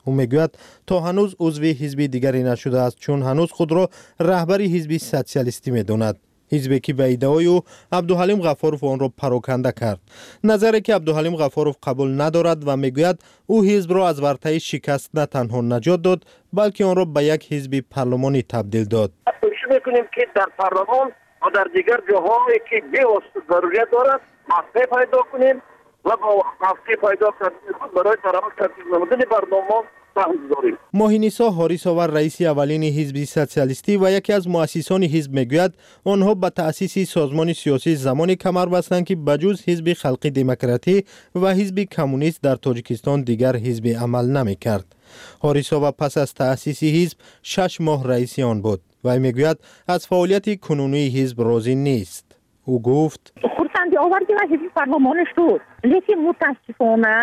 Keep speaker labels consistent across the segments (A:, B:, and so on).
A: Ӯ мегӯяд, то ҳанӯз узви ҳизби дигаре нашудааст, чун ҳанӯз худро раҳбари ҳизби социалистӣ медонад. Ҳизбе ки ба иддаои ӯ Абдуҳалим Ғафуров онро пароканда кард. Назаре ки Абдуҳалим Ғафуров қабул надорад ва мегӯяд, ӯ ҳизбро аз вартаи шикаст на танҳо наҷот дод, балки онро ба як ҳизби парлумонӣ табдил дод.
B: Кӯшиш мекунем, ки дар парлумон ва дар дигар ҷоҳое ки бевосита зарурат дорад, мавқеъ пайдо кунем ва бо мавқеъ пайдо кардани худ барои тартиб намудани барномаҳо саҳм гузорем.
A: Моҳинисо Ҳорисова, раиси аввалини ҳизби социалистӣ ва яке аз муассисони ҳизб, мегӯяд, онҳо ба таъсиси созмони сиёсӣ замоне камар бастанд, ки ба ҷуз ҳизби халқи демократӣ ва ҳизби коммунист дар Тоҷикистон дигар ҳизби амал намекард. Ҳорисова пас аз таъсиси ҳизб 6 моҳ раиси он буд. Вай мегӯяд, аз фаъолияти кунунии ҳизб розӣ нест. Ӯ гуфт:
C: хурсандӣ овард ва ҳизби парлумонӣ шуд, лекин мутаассифона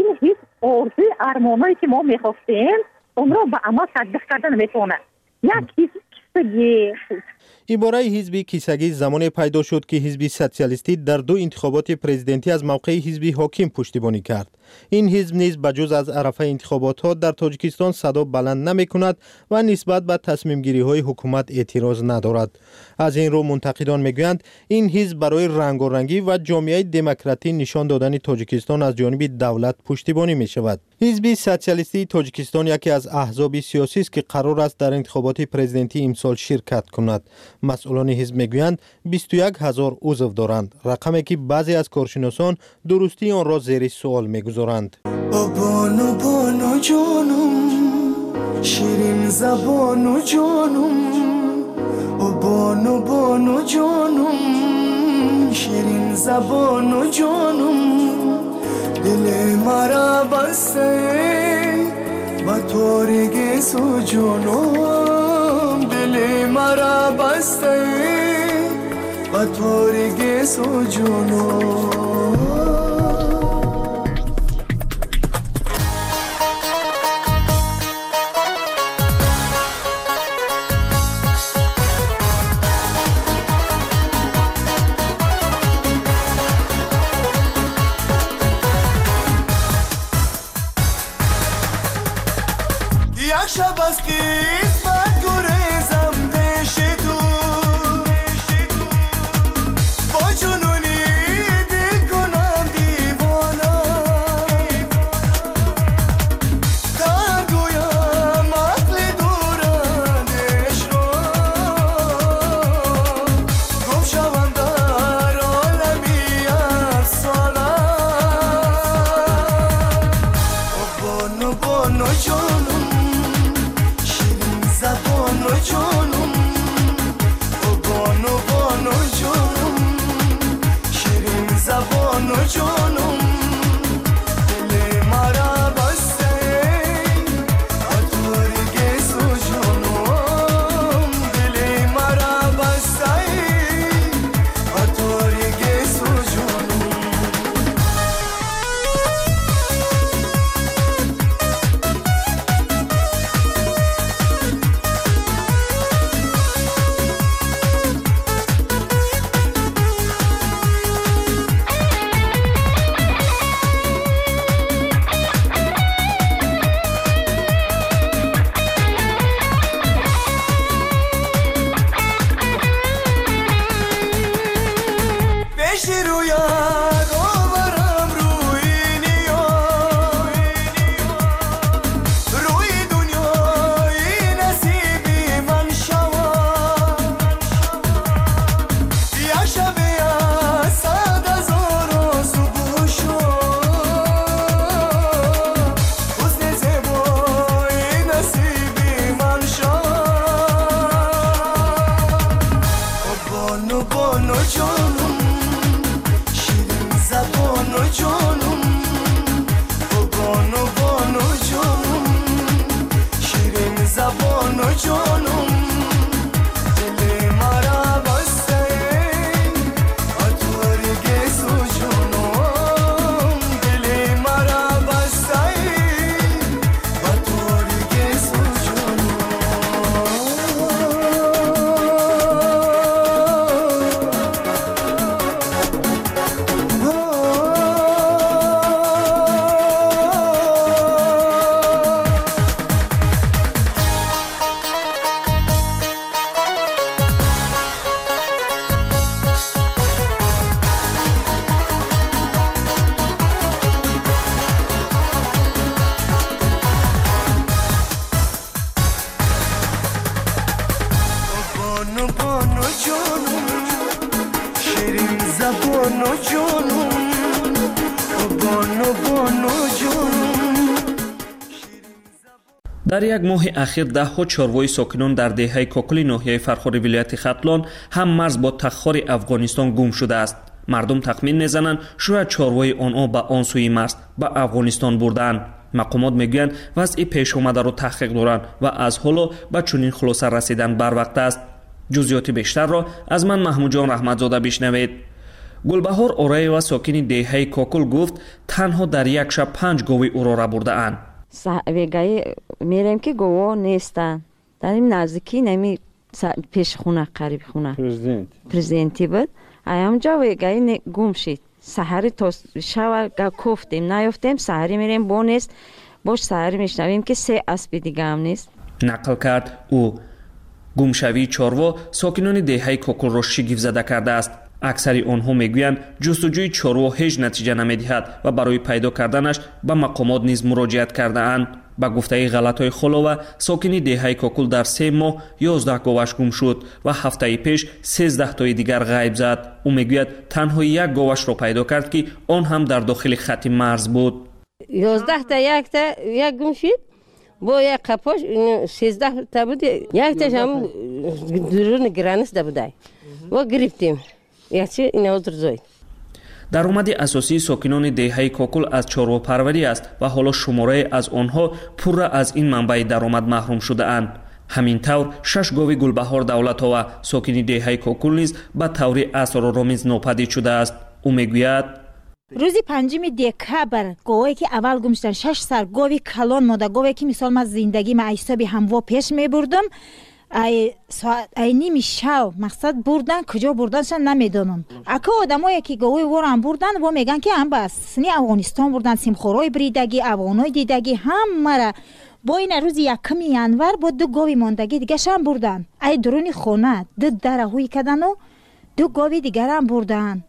C: ин ҳизб орзуи армонҳое ки мо мехостем, онро ба амал татбиқ карда наметавонад. Як ҳизби кисагӣ.
A: Ибораи ҳизби кисагӣ замоне пайдо шуд, ки ҳизби социалистӣ дар ду интихоботи президентӣ аз мавқеи ҳизби ҳоким пуштибонӣ кард. Ин ҳизб низ ба ҷуз аз арафаи интихоботҳо дар Тоҷикистон садо баланд намекунад ва нисбат ба тасмимгириҳои ҳукумат эътироз надорад. Аз ин рӯ мунтақидон мегӯянд, ин ҳизб барои рангорангӣ ва ҷомеаи демократӣ нишон додани Тоҷикистон аз ҷониби давлат пуштибонӣ мешавад. Ҳизби социалистии Тоҷикистон яке аз аҳзоби сиёсист, ки қарор аст дар интихоботи президентӣ имсол ширкат кунад. Масъулони ҳизб мегӯянд, 21 ҳазор узв доранд, рақаме ки баъзе аз коршиносон дурустии онро зери суол мегузоранд.
D: Бону, бону ҷонум, ширин забону ҷонум, бону, бону ҷонум, ширин забону ҷонум, дили мара басте ба тори гесу ҷонум, дили мара басте ба тори гесу ҷонум. Як шаб аз қисмат гурезам пеши ту, бо ҷунуни дил кунам девона, дар гӯям ақли дурандешро, гум шавам дар олами афсона. Бону, бону ҷонум, забону ҷонум, бону, бону ҷонум, ширин забону ҷонум, дили мара басте ба тори гесу ҷонум, дили мара басте ба тори гесу ҷонум. бону ҷонум, бону бону ҷонум.
E: Дар як моҳи ахир даҳҳо чорвои сокинон дар деҳаи Кокули ноҳияи Фархори вилояти Хатлон ҳам марз бо Таххори Афғонистон гум шудааст. Мардум тахмин мезананд, шояд чорвои онҳо ба он сӯи марз ба Афғонистон бурдаанд. Мақомот мегӯянд, вазъи пешомадаро таҳқиқ доранд ва аз ҳоло ба чунин хулоса расидан барвақт аст. Ҷузъиёти бештарро аз ман Маҳмудҷон Раҳматзода бишнавед. Гулбаҳор Ораева, сокини деҳаи Кокул, гуфт, танҳо дар як шаб 5 гови ӯро рабурдаанд.
F: Вегаи мерем, ки гово нестанд. Дар ин наздикӣ, нами пеши хона, қариби хона президентӣ буд. Аямҷо вегаи гум шид. Саҳари то шава кофтем, наёфтем. Саҳарӣ мерем, бо нест. Бош саҳарӣ мешнавем, ки се аспи дигаам нест.
E: Нақл кард ӯ. Гумшавии чорво сокинони деҳаи Кокулро шигифтзада кардааст. Аксари онҳо мегӯянд, ҷустуҷӯи чорво ҳеҷ натиҷа намедиҳад ва барои пайдо карданаш ба мақомот низ муроҷиат кардаанд. Ба гуфтаи Ғалатой Холова, сокини деҳаи Кокул, дар 3 моҳ 11 говаш гум шуд ва ҳафтаи пеш 13тои дигар ғайб зад. Ӯ мегӯяд, танҳо як говашро пайдо кард, ки он ҳам дар дохили хатти марз буд.
G: 11та, якта як гум шид, бо як қапош 13та буд, якташ ҳам дуруни граница будай, во гирифтем, якчи инавозр зоид.
E: Даромади асосии сокинони деҳаи Кокул аз чорвопарварӣ аст ва ҳоло шуморае аз онҳо пурра аз ин манбаи даромад маҳрум шудаанд. Ҳамин тавр, шаш гови Гулбаҳор Давлатова, сокини деҳаи Кокул, низ ба таври асроромез нопадид шудааст. Ӯ мегӯяд:
H: Рӯзи 5 декабр говое ки аввал гум шудан, шаш сар гови калон, мода гове, ки мисол ман зиндагӣ ма ҳисоби ҳамво пеш мебурдам, ай ними шав мақсад бурдан, куҷо бурданша намедонам. Ака, одамое ки говои ворам бурдан, во мегӯянд, ки ам ба сини Афғонистон бурдан, симхорои бридагӣ, афғонои дидагӣ ҳамара. Бо ина рӯзи 1 январ бо ду гови мондагӣ дигашам бурдан, ай дуруни хона ду дара ҳуй кадану ду гови дигарам бурдан.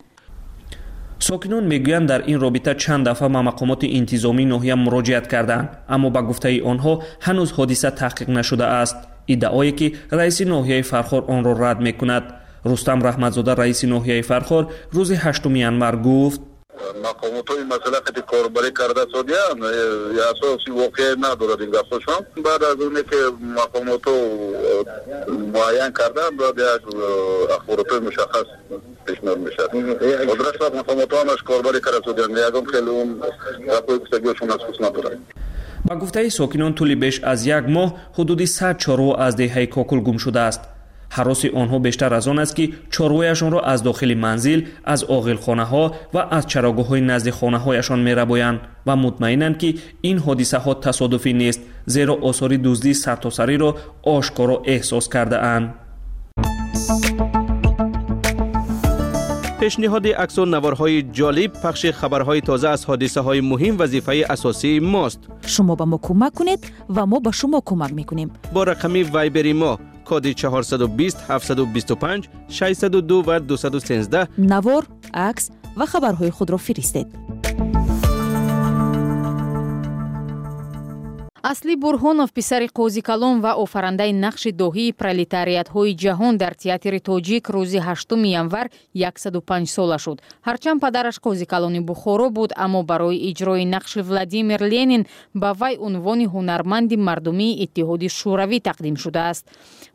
E: Сокинон мегӯянд, дар ин робита чанд дафъа ба мақомоти интизомии ноҳия муроҷиат карданд, аммо ба гуфтаи онҳо ҳанӯз ҳодиса таҳқиқ нашудааст, иддаое ки раиси ноҳияи Фархор онро рад мекунад. Рустам Раҳматзода, раиси ноҳияи Фархор, рӯзи 8 январ гуфт:
B: Мақомотҳои масъала қати корбарӣ карда содиянд, асоси воқеа надорад ин гапҳошон. Баъд аз оне ки мақомотҳо муайян карданд, баъд як ахборотҳои мушаххас пешниҳод мешавад. Ҳозираш мақомотҳо ҳамаш корбарӣ карда содиянд, ягон хеле он гапҳои гуфтагиҳошон асос надорад.
E: Ба гуфтаи сокинон, тӯли беш аз як моҳ ҳудуди 100 чорво аз деҳаи Кокул гум шудааст. Ҳароси онҳо бештар аз он аст, ки чорвояшонро аз дохили манзил, аз оғилхонаҳо ва аз чарогоҳҳои назди хонаҳояшон мерабоянд ва мутмаинанд, ки ин ҳодисаҳо тасодуфӣ нест, зеро осори дуздии сартосариро ошкоро эҳсос кардаанд.
I: Пешниҳоди аксу наворҳои ҷолиб, пахши хабарҳои тоза аз ҳодисаҳои муҳим вазифаи асосии мост.
J: Шумо ба мо кӯмак кунед ва мо ба шумо кӯмак мекунем.
I: Бо рақами Вайбери мо, коди 420 725 602 ва 213,
J: навор, акс ва хабарҳои худро фиристед.
K: Асли Бурҳонов, писари Қозикалон ва офарандаи нақши доҳии пролетариатҳои ҷаҳон дар театри тоҷик, рӯзи 8 январ 105 сола шуд. Ҳарчанд падараш Қозикалони Бухоро буд, аммо барои иҷрои нақши Владимир Ленин ба вай унвони ҳунарманди мардумии Иттиҳоди Шӯравӣ тақдим шудааст.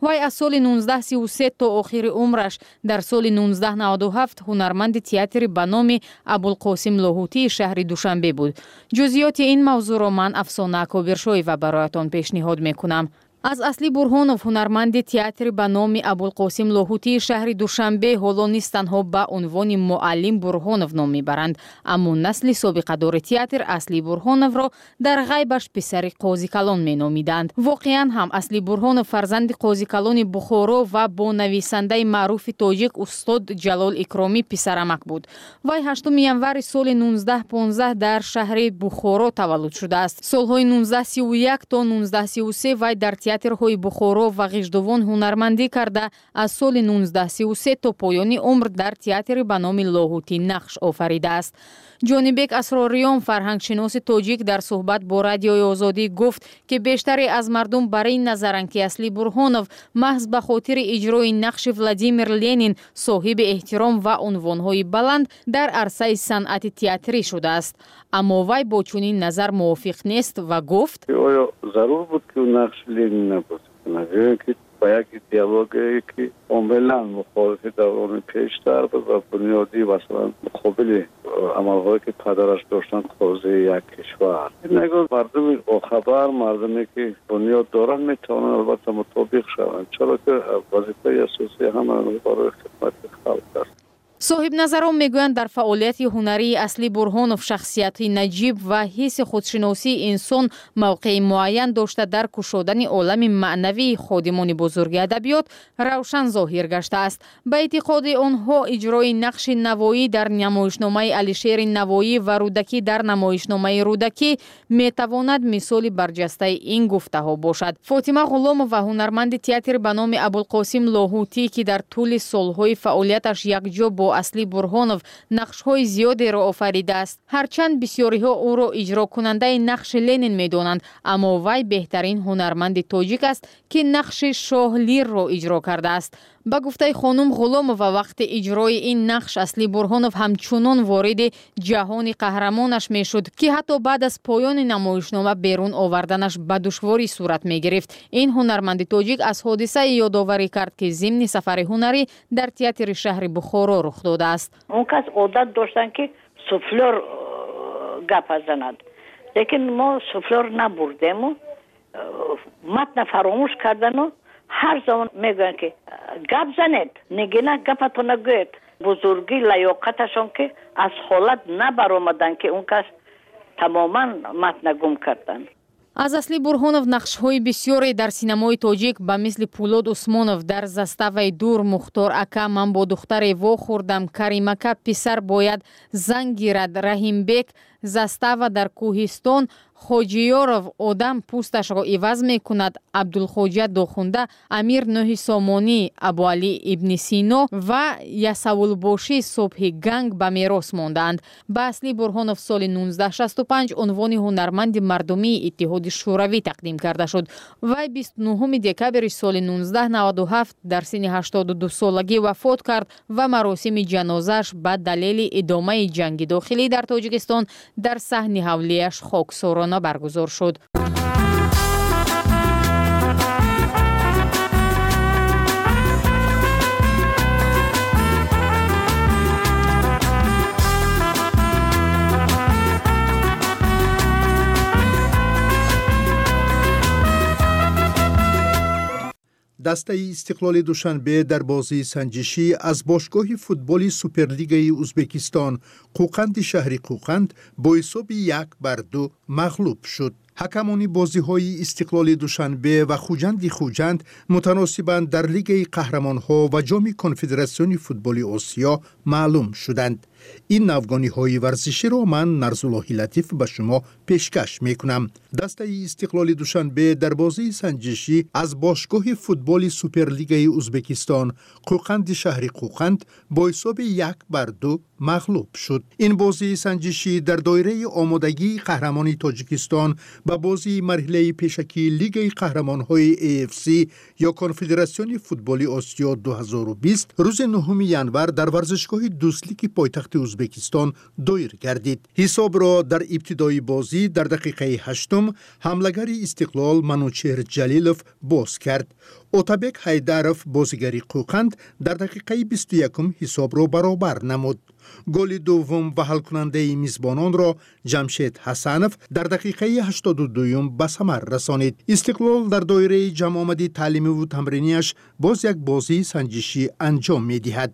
K: Вай аз соли 1933 то охири умраш дар соли 1997 ҳунарманди театри ба номи Абулқосим Лоҳутии шаҳри Душанбе буд. Ҷузъиёти ин мавзӯъро ман, Афсона Кобиршоева, бароятон пешниҳод мекунам. Аз Асли Бурҳонов, ҳунарманди театри ба номи Абулқосим Лоҳутии шаҳри Душанбе, ҳоло низ танҳо ба унвони муаллим Бурҳонов ном мебаранд, аммо насли собиқадори театр Асли Бурҳоновро дар ғайбаш писари Қозикалон меномиданд. Воқеан ҳам, Асли Бурҳонов фарзанди Қозикалони Бухоро ва бо нависандаи маъруфи тоҷик устод Ҷалол Икромӣ писарамак буд. Вай 8 январи соли 1915 дар шаҳри Бухоро таваллуд шудааст. Солҳои 1931 то 1933 вай дар театрҳои Бухоро ва Ғиждувон ҳунармандӣ карда, аз соли 1933 то поёни умр дар театри ба номи Лоҳутӣ нақш офаридааст. Ҷонибек Асрориён, фарҳангшиноси тоҷик, дар суҳбат бо Радиои Озодӣ гуфт, ки бештаре аз мардум бар ин назаранд, ки Асли Бурҳонов маҳз ба хотири иҷрои нақши Владимир Ленин соҳиби эҳтиром ва унвонҳои баланд дар арсаи санъати театрӣ шудааст. Аммо вай бо чунин назар мувофиқ нест ва гуфт:
L: Оё зарур буд, ки ӯ нақши Ленина бозӣ кунад, ё ин ки ба як идеологияе, ки комилан мухолифи даврони пештар буд ва бунёдӣ, масалан, муқобили амалҳое, ки падараш доштанд, қозии як кишвар? Нагоҳ мардуми бохабар, мардуме, ки бунёд доранд, метавонанд албатта мутобиқ шаванд, чаро ки вазифаи асосии ҳама барои хидмати халқ аст.
K: Соҳибназарон мегӯянд, дар фаъолияти ҳунарии Асли Бурҳонов шахсияти наҷиб ва ҳисси худшиносии инсон мавқеи муайян дошта, дар кушодани олами маънавии ходимони бузурги адабиёт равшан зоҳир гаштааст. Ба эътиқоди онҳо, иҷрои нақши Навоӣ дар намоишномаи Алишери Навоӣ ва Рӯдакӣ дар намоишномаи Рӯдакӣ метавонад мисоли барҷастаи ин гуфтаҳо бошад. Фотима Ғуломова, ҳунарманди театр ба номи Абулқосим Лоҳутӣ, ки дар тӯли солҳои фаъолияташ якҷо бо Асли Бурҳонов нақшҳои зиёдеро офаридааст, ҳарчанд бисёриҳо ӯро иҷрокунандаи нақши Ленин медонанд, аммо вай беҳтарин ҳунарманди тоҷик аст, ки нақши шоҳ Лирро иҷро кардааст. Ба гуфтаи хонум Ғуломова, вақти иҷрои ин нақш Асли Бурҳонов ҳамчунон вориди ҷаҳони қаҳрамонаш мешуд, ки ҳатто баъд аз поёни намоишнома берун оварданаш ба душворӣ сурат мегирифт. Ин ҳунарманди тоҷик аз ҳодисае ёдоварӣ кард, ки зимни сафари ҳунарӣ дар театри шаҳри Бухоро рух додааст.
M: Он кас одат доштанд, ки суфлёр гапа занад, лекин мо суфлёр набурдему матна фаромӯш кардану ҳар замон мегӯянд, ки гап занед, нигина, гапатона гӯед. Бузургӣ лаёқаташон, ки аз ҳолат набаромаданд, ки он кас тамоман матна гум карданд.
K: Аз Асли Бурҳонов нақшҳои бисёре дар синамои тоҷик ба мисли Пулод Усмонов дар «Заставаи дур», Мухтор ака, Ман бо духтаре вохӯрдам, Каримака, Писар бояд зан гирад, Раҳимбек, Застава дар кӯҳистон, Хоҷиёров, Одам пӯсташро иваз мекунад, Абдулхоҷа Дохунда, Амир Нӯҳи Сомонӣ, Абуалӣ ибни Сино ва Ясавулбошӣ субҳи ганг ба мерос мондаанд. Ба Асли Бурҳонов соли 1965 унвони ҳунарманди мардумии Иттиҳоди Шӯравӣ тақдим карда шуд. Вай 29 декабри соли 1997 дар синни 82 солагӣ вафот кард ва маросими ҷанозааш ба далели идомаи ҷанги дохилӣ дар Тоҷикистон дар саҳни ҳавлияш хоксорона баргузор шуд.
N: Дастаи Истиқлоли Душанбе дар бозии санҷишӣ аз бошгоҳи футболи Суперлигаи Узбекистон Қӯқанди шаҳри Қӯқанд бо ҳисоби 1-2 мағлуб шуд. Ҳакамони бозиҳои Истиқлоли Душанбе ва Хуҷанди Хуҷанд мутаносибан дар Лигаи қаҳрамонҳо ва Ҷоми Конфедератсиони футболи Осиё маълум шуданд. Ин навгониҳои варзиширо ман, Нарзуллоҳи Латиф, ба шумо пешкаш мекунам. Дастаи Истиқлоли Душанбе дар бозии санҷишӣ аз бошгоҳи футболи Суперлигаи Узбекистон Қӯқанди шаҳри Қӯқанд бо ҳисоби 1-2 мағлуб шуд. Ин бозии санҷишӣ дар доираи омодагии қаҳрамони Тоҷикистон ба бозии марҳилаи пешакии Лигаи қаҳрамонҳои AFC ё Конфедератсиони футболи Осиё 2020 рӯзи 9 январ дар варзишгоҳи Дӯстлики пойтахти Узбекистон доир гардид. Ҳисобро дар ибтидои бозӣ дар дақиқаи ҳаштум ҳамлагари Истиқлол Манучеҳр Ҷалилов боз кард. Отабек Ҳайдаров, бозигари Қӯқанд, дар дақиқаи 21-ум ҳисобро баробар намуд. Голи дуввум ва ҳалкунандаи мизбононро Ҷамшед Ҳасанов дар дақиқаи 82-юм ба самар расонид. Истиқлол дар доираи ҷамъомади таълимиву тамринияш боз як бозии санҷишӣ анҷом медиҳад.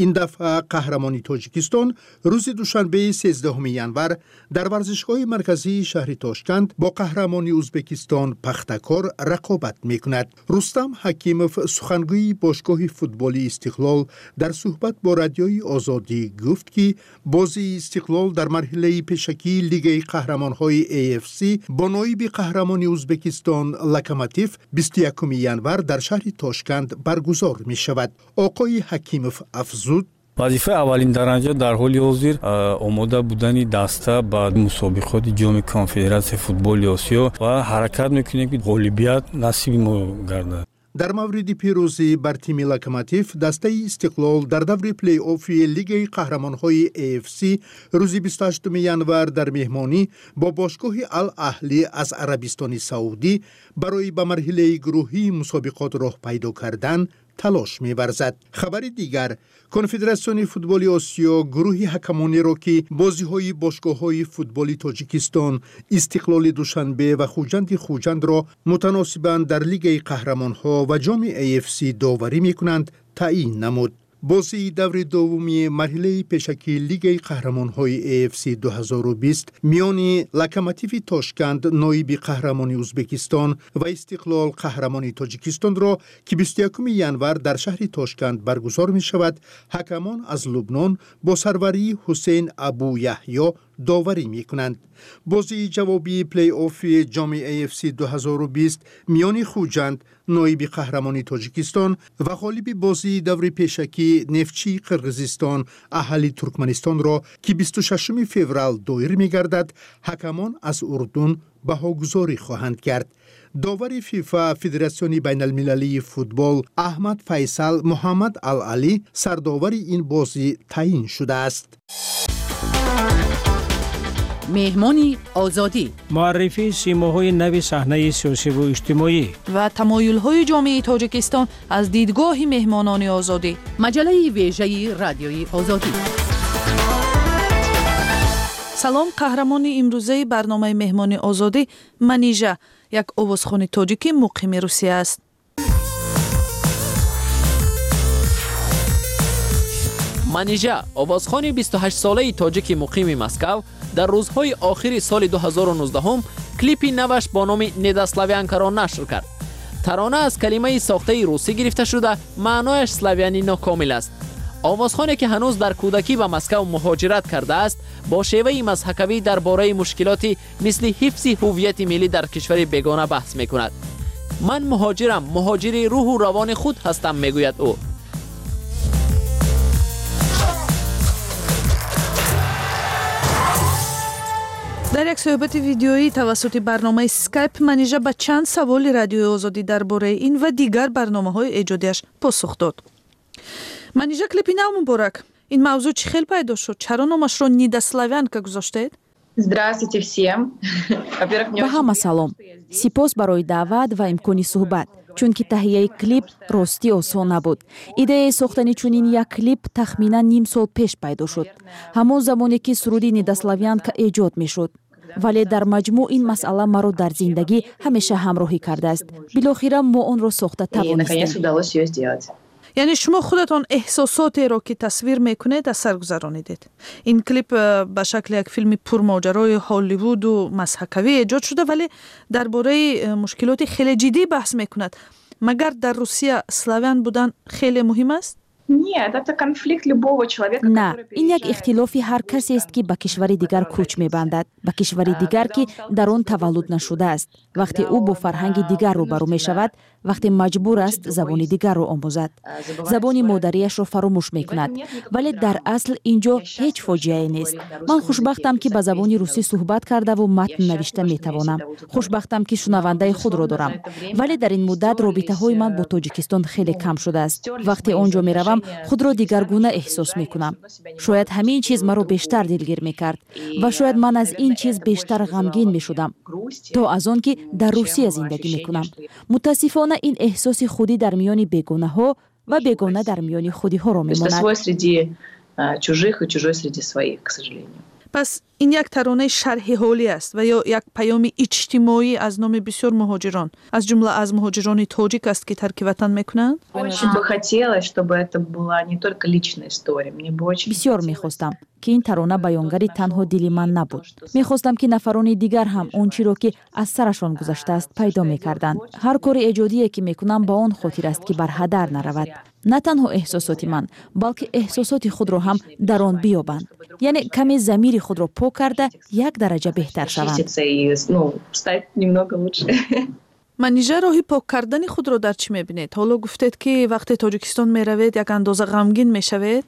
N: Ин дафъа қаҳрамони Тоҷикистон рӯзи душанбеи 13 январ дар варзишгоҳи марказии шаҳри Тошканд бо қаҳрамони Узбекистон Пахтакор рақобат мекунад. Рустам Ҳакимов, сухангӯи бошгоҳи футболи Истиқлол, дар суҳбат бо Радиои Озодӣ гуфт. Гуфт, ки бозии Истиқлол дар марҳилаи пешакии Лигаи қаҳрамонҳои AFC бо ноиби қаҳрамони Узбекистон Локомотив 21 январ дар шаҳри Тошканд баргузор мешавад. Оқои Ҳакимов афзуд:
O: Вазифаи аввалин дараҷа дар ҳоли ҳозир омода будани даста ба мусобиқоти Ҷоми Конфедератсияи футболи Осиё ва ҳаракат мекунем, ки ғолибият насиби мо гардад.
N: Дар мавриди пирӯзӣ бар тими Локомотив, дастаи Истиқлол дар даври плей-оффи Лигаи қаҳрамонҳои AFC рӯзи 28 январ дар меҳмонӣ бо бошгоҳи Ал Аҳлӣ аз Арабистони Саудӣ барои ба марҳилаи гурӯҳии мусобиқот роҳ пайдо кардан талош меварзад. Хабари дигар: Конфедератсиони футболи Осиё гурӯҳи ҳакамонеро, ки бозиҳои бошгоҳҳои футболи Тоҷикистон Истиқлоли Душанбе ва Хуҷанди Хуҷандро мутаносибан дар Лигаи қаҳрамонҳо ва ҷоми AFC доварӣ мекунанд, таъйин намуд. Бозии даври дуввуми марҳилаи пешакии Лигаи қаҳрамонҳои AFC 2020 миёни Локомотиви Тошканд, ноиби қаҳрамони Узбекистон, ва Истиқлол, қаҳрамони Тоҷикистонро, ки 21 январ дар шаҳри Тошканд баргузор мешавад, ҳакамон аз Лубнон бо сарварии Ҳусейн Абу Яҳё доварӣ мекунанд. Бозии ҷавобии плей-оффи ҷоми AFC 2020 миёни Хуҷанд, ноиби қаҳрамони Тоҷикистон, ва ғолиби бозии даври пешакӣ Нефтчии Қирғизистон Аҳали Туркманистонро, ки 26 феврал доир мегардад, ҳакамон аз Урдун баҳогузорӣ хоҳанд кард. Довари ФИФА, Федератсиони байналмилалии футбол, Аҳмад Файсал Муҳаммад Ал Алӣ сардовари ин бозӣ таъйин шудааст.
P: Меҳмони Озодӣ.
Q: Муаррифии симоҳои нави саҳнаи сиёсиву иҷтимоӣ
R: ва тамоюлҳои ҷомеаи Тоҷикистон аз дидгоҳи меҳмонони Озодӣ.
P: Маҷаллаи вежаи Радиои Озодӣ.
R: Салом. Қаҳрамони имрӯзаи барномаи Меҳмони Озодӣ Манижа, як овозхони тоҷикӣ, муқими Русия аст.
S: Манижа, овозхони 28-солаи тоҷики муқими Москав, дар рӯзҳои охири соли 2019 клипи наваш бо номи «Недославянка»-ро нашр кард. Тарона аз калимаи сохтаи русӣ гирифта шуда, маънояш славяни нокомил аст. Овозхоне, ки ҳанӯз дар кӯдакӣ ба Москав муҳоҷират кардааст, бо шеваи мазҳакавӣ дар бораи мушкилоти мисли ҳифзи ҳуввияти миллӣ дар кишвари бегона баҳс мекунад. «Ман муҳоҷирам, муҳоҷири рӯҳу равони худ ҳастам», мегӯяд ӯ.
R: Дар як суҳбати видеоӣ тавассути барномаи Скайп Манижа ба чанд саволи Радиои Озодӣ дар бораи ин ва дигар барномаҳои эҷодиаш посух дод. Манижа, клипи нав муборак! Ин мавзӯъ чӣ хел пайдо шуд? Чаро номашро «Недославянка» гузоштаед?
T: Здравствуйте всем.
J: Ба ҳама салом. Сипос барои даъват ва имкони суҳбат, чунки таҳияи клип ростӣ осон набуд. Идеяи сохтани чунин як клип тахминан ним сол пеш пайдо шуд, ҳамон замоне ки суруди «Недославянка» эҷод мешуд. Вале дар маҷмӯъ ин масъала маро дар зиндагӣ ҳамеша ҳамроҳӣ кардааст. Билохира мо онро сохта тавонистем.
R: Яъне шумо худатон эҳсосотеро, ки тасвир мекунед, аз сар гузаронидед. Ин клип ба шакли як филми пурмоҷарои Ҳолливуду мазҳакавӣ эҷод шуда, вале дар бораи мушкилоти хеле ҷиддӣ баҳс мекунад. Магар дар Русия славян будан хеле муҳим аст?
T: Нет, это конфликт любого человека.
J: На, ин як ихтилофи ҳар касест, ки ба кишвари дигар кӯч мебандад, ба кишвари дигар, ки дар он таваллуд нашудааст. Вақте ӯ бо фарҳанги дигар рӯбарӯ мешавад, вақте маҷбур аст забони дигарро омӯзад, забони модариашро фаромӯш мекунад. Вале дар асл ин ҷо ҳеҷ фоҷиае нест. Ман хушбахтам, ки ба забони русӣ суҳбат кардаву матн навишта метавонам. Хушбахтам, ки шунавандаи худро дорам. Вале дар ин муддат робитаҳои ман бо Тоҷикистон хеле кам шудааст. Вақте он ҷо меравам, худро дигаргуна эҳсос мекунам. Шояд ҳамин чиз маро бештар дилгир мекард ва шояд ман аз ин чиз бештар ғамгин мешудам, то аз он ки дар Русия зиндагӣ мекунам. Мутаассифона, ин эҳсоси худӣ дар миёни бегонаҳо ва бегона дар миёни худиҳоро мемонад.
T: Чужих и чужой среди своих, к сожалению.
R: Пас Ин як таронаи шарҳи ҳолӣ аст ва ё як паёми иҷтимоӣ аз номи бисёр муҳоҷирон, аз ҷумла аз муҳоҷирони тоҷик аст, ки тарки ватан мекунанд?
T: Очень бы хотелось, чтобы это была не только личная история. Мне бы очень
J: Бисёр мехостам, ки ин тарона баёнгари танҳо дили ман набуд. Мехостам, ки нафарони дигар ҳам он чиро, ки аз сарашон гузаштааст, пайдо мекарданд. Ҳар кори эҷодие, ки мекунам, ба он хотир аст, ки бар ҳадар наравад на танҳо эҳсосоти ман, балки эҳсосоти худро ҳам дар он биёбанд, яъне каме замири худро пок карда, як дараҷа беҳтар шаванд.
R: Манижа, роҳи пок кардани худро дар чӣ мебинед? Ҳоло гуфтед, ки вақте Тоҷикистон меравед, як андоза ғамгин мешавед.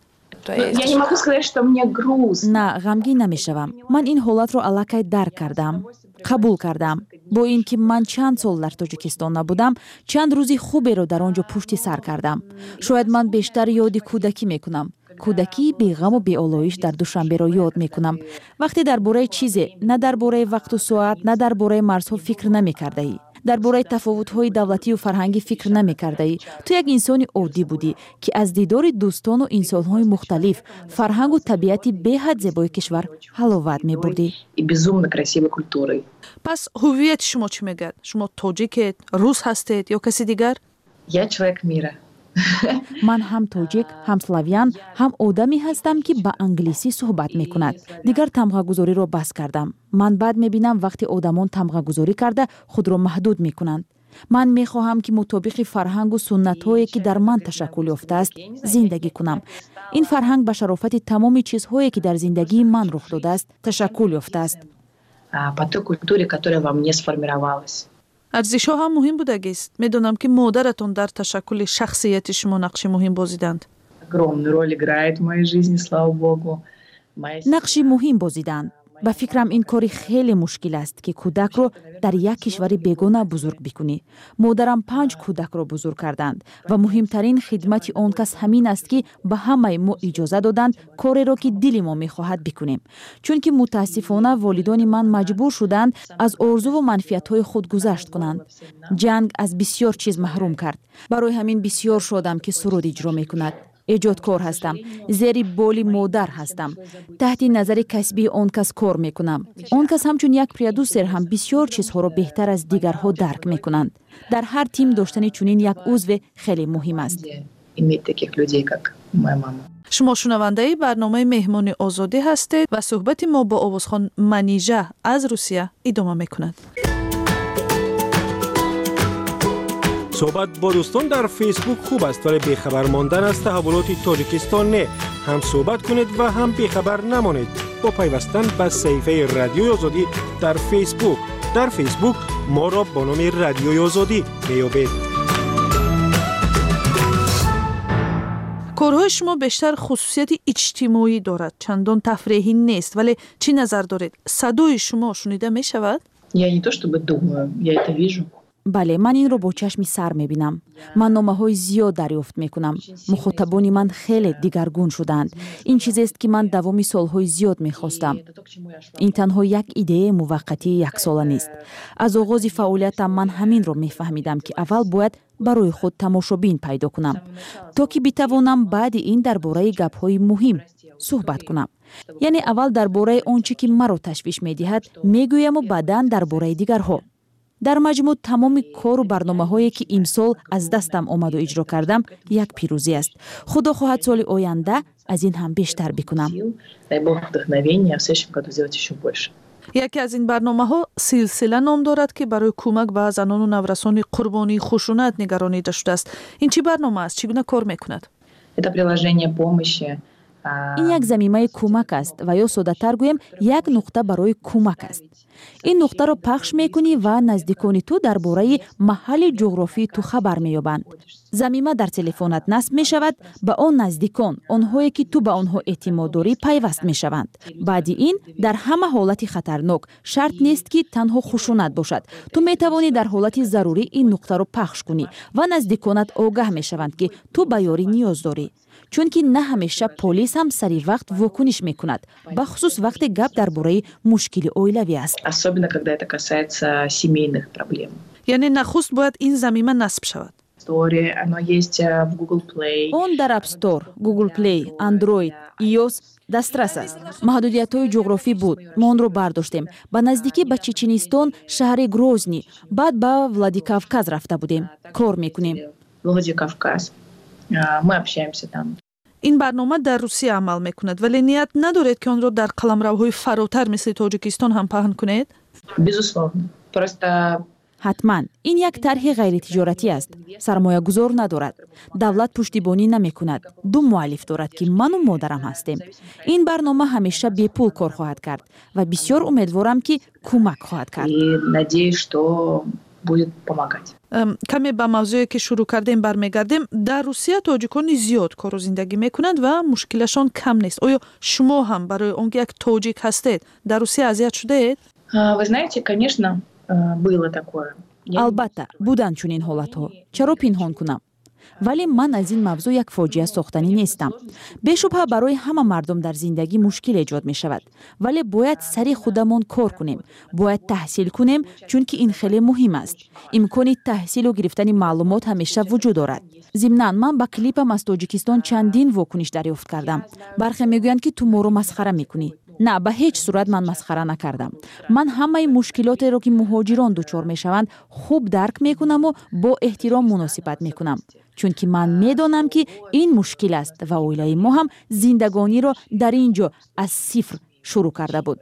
T: Я не могу сказать, что мне грустно.
J: На, ғамгин намешавам. Ман ин ҳолатро аллакай дарк кардам, қабул кардам. Бо ин ки ман чанд сол дар Тоҷикистон набудам, чанд рӯзи хуберо дар он ҷо пушти сар кардам. Шояд ман бештар ёди кӯдакӣ мекунам. Кӯдакии беғаму беолоиш дар Душанберо ёд мекунам, вақте дар бораи чизе, на дар бораи вақту соат, на дар бораи марзҳо фикр намекардаӣ, дар бораи тафовутҳои давлатию фарҳангӣ фикр намекардаӣ. Ту як инсони оддӣ будӣ, ки аз дидори дӯстону инсонҳои мухталиф, фарҳангу табиати беҳад зебои кишвар ҳаловат мебурдӣ.
T: И безумно красивой культурой.
R: Пас ҳуввияти шумо чӣ мегӯяд? Шумо тоҷикед, рус ҳастед ё каси дигар?
T: Я человек мира.
J: Ман ҳам тоҷик, ҳам славян, ҳам одаме ҳастам, ки ба англисӣ суҳбат мекунад. Дигар тамғагузориро бас кардам. Ман бад мебинам, вақте одамон тамғагузорӣ карда, худро маҳдуд мекунанд. Ман мехоҳам, ки мутобиқи фарҳангу суннатҳое, ки дар ман ташаккул ёфтааст, зиндагӣ кунам. Ин фарҳанг ба шарофати тамоми чизҳое, ки дар зиндагии ман рух додааст, ташаккул ёфтааст.
T: По той культуре, которая во мне сформировалась.
R: Арзишҳо ҳам муҳим будагист. Медонам, ки модаратон дар ташаккули шахсияти шумо нақши муҳим бозиданд.
T: Огромную роль играет в моей жизни, слава богу.
J: Нақши муҳим бозиданд. Ба фикрам, ин кори хеле мушкил аст, ки кӯдакро дар як кишвари бегона бузург бикунӣ. Модарам панҷ кӯдакро бузург карданд ва муҳимтарин хидмати он кас ҳамин аст, ки ба ҳамаи мо иҷоза доданд кореро, ки дили мо мехоҳад, бикунем, чунки мутаассифона волидони ман маҷбур шуданд аз орзуву манфиатҳои худ гузашт кунанд. Ҷанг аз бисёр чиз маҳрум кард. Барои ҳамин бисёр шодам, ки суруд иҷро мекунад, эҷодкор ҳастам, зери боли модар ҳастам, таҳти назари касбии он кас кор мекунам. Он кас ҳамчун як продюсер ҳам бисёр чизҳоро беҳтар аз дигарҳо дарк мекунанд. Дар ҳар тим доштани чунин як узве хеле муҳим аст.
T: Иметь таких людей, как моя мама.
R: Шумо шунавандаи барномаи «Меҳмони озодӣ» ҳастед ва суҳбати мо бо овозхон Манижа аз Русия идома мекунад.
Q: Суҳбат бо дӯстон дар Фейсбук хуб аст, вале бехабар мондан аз таҳаввулоти Тоҷикистон не. Ҳам суҳбат кунед ва ҳам бехабар намонед бо пайвастан ба саҳифаи Радиои Озодӣ дар Фейсбук. Дар Фейсбук моро бо номи Радиои Озодӣ меёбед.
R: Корҳои шумо бештар хусусияти иҷтимоӣ дорад, чандон тафреҳӣ нест, вале чӣ назар доред, садои шумо шунида мешавад?
T: Я не то чтобы думаю, я это вижу.
J: Бале, ман инро бо чашми сар мебинам. Ман номаҳои зиёд дарёфт мекунам. Мухотабони ман хеле дигаргун шудаанд. Ин чизест, ки ман давоми солҳои зиёд мехостам. Ин танҳо як идеяи муваққатии яксола нест. Аз оғози фаъолиятам ман ҳаминро мефаҳмидам, ки аввал бояд барои худ тамошобин пайдо кунам, то ки битавонам баъди ин дар бораи гапҳои муҳим суҳбат кунам. Яъне аввал дар бораи он чӣ ки маро ташвиш медиҳад, мегӯяму баъдан дар бораи дигарҳо. Дар маҷмӯъ, тамоми кору барномаҳое, ки имсол аз дастам омаду иҷро кардам, як пирӯзӣ аст. Худо хоҳад, соли оянда аз ин ҳам бештар бикунам.
T: Дай бог вдохновения в следующем году сделать еще больше.
R: Яке аз ин барномаҳо «Силсила» ном дорад, ки барои кӯмак ба занону наврасони қурбонии хушунат нигаронида шудааст. Ин чӣ барнома аст, чӣ гуна кор мекунад?
T: Это приложение помощи.
J: Ин як замимаи кӯмак аст ва ё, соддатар гӯем, як нуқта барои кӯмак аст. Ин нуқтаро пахш мекунӣ ва наздикони ту дар бораи маҳалли ҷуғрофии ту хабар меёбанд. Замима дар телефонат насб мешавад, ба он наздикон, онҳое ки ту ба онҳо эътимод дорӣ, пайваст мешаванд. Баъди ин дар ҳама ҳолати хатарнок, шарт нест, ки танҳо хушунат бошад, ту метавонӣ дар ҳолати зарурӣ ин нуқтаро пахш кунӣ ва наздиконат огаҳ мешаванд, ки ту ба ёрӣ ниёз дорӣ, чунки на ҳамеша полис ҳам сари вақт вокуниш мекунад, бахусус вақте гап дар бораи мушкили оилавӣ аст.
T: Особенно когда это касается семейных проблем.
R: Яъне нахуст бояд ин замима насб шавад?
T: Store, оно есть в Google Play.
J: Он дар App Store, Google Play, Android, iOS дастрас аст. Маҳдудиятҳои ҷуғрофӣ буд, мо онро бардоштем. Ба наздикӣ ба Чеченистон, шаҳри Грозни, баъд ба Владикавказ рафта будем. Кор мекунем.
T: Владикавказ. Мы общаемся там.
R: Ин барнома дар Русия амал мекунад, вале ният надоред, ки онро дар қаламравҳои фаротар, мисли Тоҷикистон, ҳам паҳн кунед?
T: Безусловно. Просто
J: Ҳатман, ин як тарҳи ғайритиҷоратӣ аст, сармоягузор надорад, давлат пуштибонӣ намекунад. Ду муаллиф дорад, ки ману модарам ҳастем. Ин барнома ҳамеша бепул кор хоҳад кард ва бисёр умедворам, ки кӯмак хоҳад кард.
T: И надеюсь, что будет помогать.
R: Каме ба мавзӯе, ки шурӯъ кардем, бармегардем. Дар Русия тоҷикони зиёд кору зиндагӣ мекунанд ва мушкилашон кам нест. Оё шумо ҳам барои он ки як тоҷик ҳастед, дар Русия азият шудаед?
T: Вы знаете, конечно, было такое.
J: Албатта, буданд чунин ҳолатҳо, чаро пинҳон кунам? Вале ман аз ин мавзӯъ як фоҷиа сохтанӣ нестам. Бешубҳа, барои ҳама мардум дар зиндагӣ мушкил эҷод мешавад, вале бояд сари худамон кор кунем, бояд таҳсил кунем, чунки ин хеле муҳим аст. Имкони таҳсилу гирифтани маълумот ҳамеша вуҷуд дорад. Зимнан, ман ба клипам аз Тоҷикистон чандин вокуниш дарёфт кардам. Бархе мегӯянд, ки ту моро масхара мекунӣ. На, ба ҳеҷ сурат ман масхара накардам. Ман ҳамаи мушкилотеро, ки муҳоҷирон дучор мешаванд, хуб дарк мекунаму бо эҳтиром муносибат мекунам, чунки ман медонам, ки ин мушкил аст ва оилаи мо ҳам зиндагониро дар ин ҷо аз сифр шурӯъ карда буд.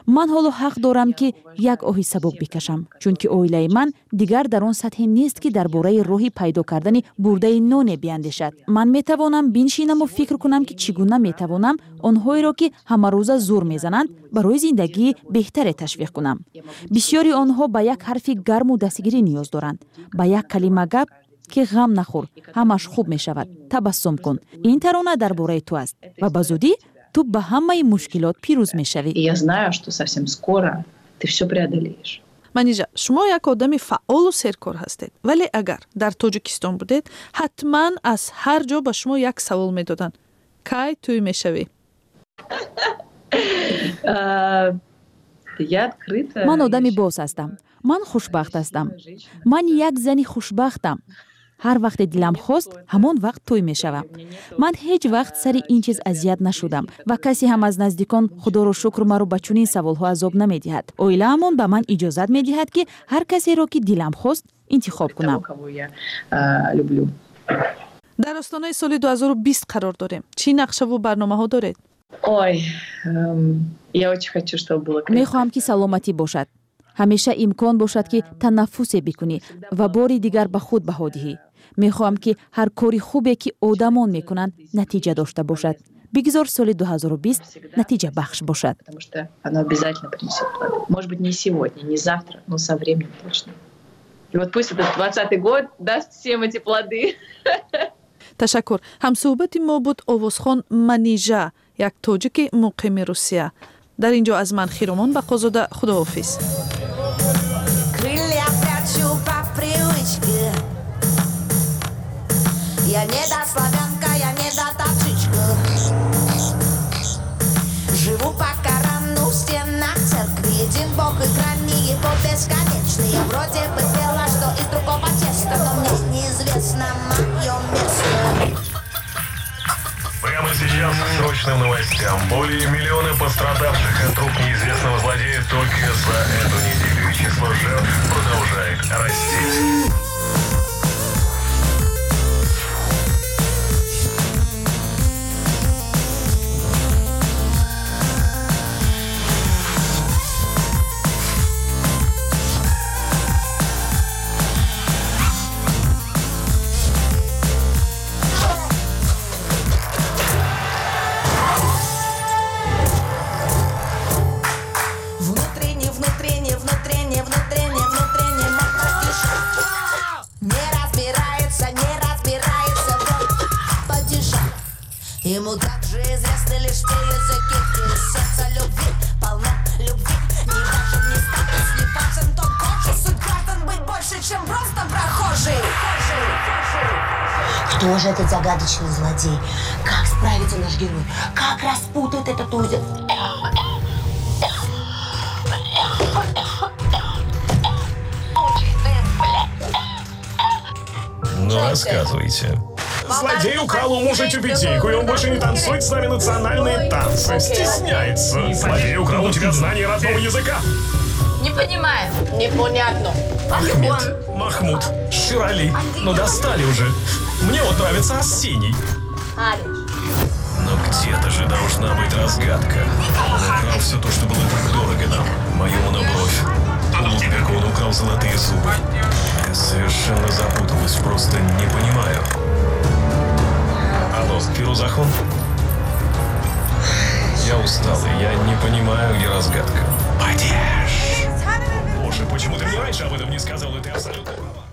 J: Ман ҳоло ҳақ дорам, ки як оҳи сабук бикашам, чунки оилаи ман дигар дар он сатҳе нест, ки дар бораи роҳи пайдо кардани бурдаи ноне биандешад. Ман метавонам биншинаму фикр кунам, ки чӣ гуна метавонам онҳоеро, ки ҳамарӯза зур мезананд, барои зиндагии беҳтаре ташвиқ кунам. Бисёри онҳо ба як ҳарфи гарму дастгирӣ ниёз доранд, ба як калима гап, ки ғам нахӯр, ҳамаш хуб мешавад, табассум кун, ин тарона дар бораи ту аст ва ба зудӣ ту ба ҳамаи мушкилот пирӯз мешавӣ.
T: И я знаю, что совсем скоро ты все преодолеешь.
R: Манижа, шумо як одами фаъолу серкор ҳастед, вале агар дар Тоҷикистон будед, ҳатман аз ҳар ҷо ба шумо як савол медоданд: кай тӯй мешавӣ?
T: Я открыта.
J: Ман одами боз ҳастам, ман хушбахт ҳастам, ман як зани хушбахтам. Ҳар вақте дилам хост, ҳамон вақт тӯй мешавам. Ман ҳеҷ вақт сари ин чиз азият нашудам ва касе ҳам аз наздикон, худоро шукр, маро ба чунин саволҳо азоб намедиҳад. Оилаамон ба ман иҷозат медиҳад, ки ҳар касеро, ки дилам хост, интихоб кунам.
T: Кого я люблю.
R: Дар остонаи соли 2020 қарор дорем. Чӣ нақшаву барномаҳо доред?
T: Ой, я очень хочу, чтобы было
J: Мехоҳам, ки саломатӣ бошад, ҳамеша имкон бошад, ки танаффусе бикунӣ ва бори дигар ба худ баҳо диҳӣ. Мехоҳам, ки ҳар кори хубе, ки одамон мекунанд, натиҷа дошта бошад. Бигзор соли 2020 натиҷабахш бошад.
T: Потому что оно обязательно принесет плоды. Может быть, не сегодня, не завтра, но со временем точно. И вот пусть этот 20-й год даст всем эти плоды.
R: Ташаккур. Ҳамсӯҳбати мо буд овозхон Манижа, як тоҷики муқими Русия. Дар ин ҷо аз ман, Хиромон Бақозода, худоҳофиз.
U: Крылья прячу по привычке. Я не до славянка, я не до таджичка. Живу по Корану в стенах церкви. Един бог и грани его бесконечные. Я вроде бы пела, что из другого теста, но мне неизвестно мое место.
V: Прямо сейчас к срочным новостям. Более миллиона пострадавших от рук неизвестного злодея только за эту неделю. И число жертв продолжает расти.
U: Внутренне, внутренне, внутренне, внутренне, внутренне Не разбирается, не разбирается в падежах. Ему также известны лишь те языки, где сердце любви полно любви. Не важен ни статус, не важен тон кожи. Суть граждан быть больше, чем просто прохожий.
W: Кто же этот загадочный злодей? Как справится наш герой? Как распутает этот узел?
V: Ну, рассказывайте. Злодей украл у мужа тюбетейку, и он больше не танцует с нами национальные танцы. Стесняется. Злодей украл у тебя знание родного языка.
T: Не понимаю. Непонятно.
V: Ахмед, Махмуд, Ширали. Ну достали уже. Мне вот нравится Арсений. Но где-то же должна быть разгадка. Он украл все то, что было так дорого нам. Мою монобровь. У Лудбека он украл золотые зубы. Я совершенно запуталась, просто не понимаю. Алло, Фирузахон? Я устал, и я не понимаю, где разгадка. Падеж! Боже, почему ты мне раньше об этом не сказал, и ты абсолютно права.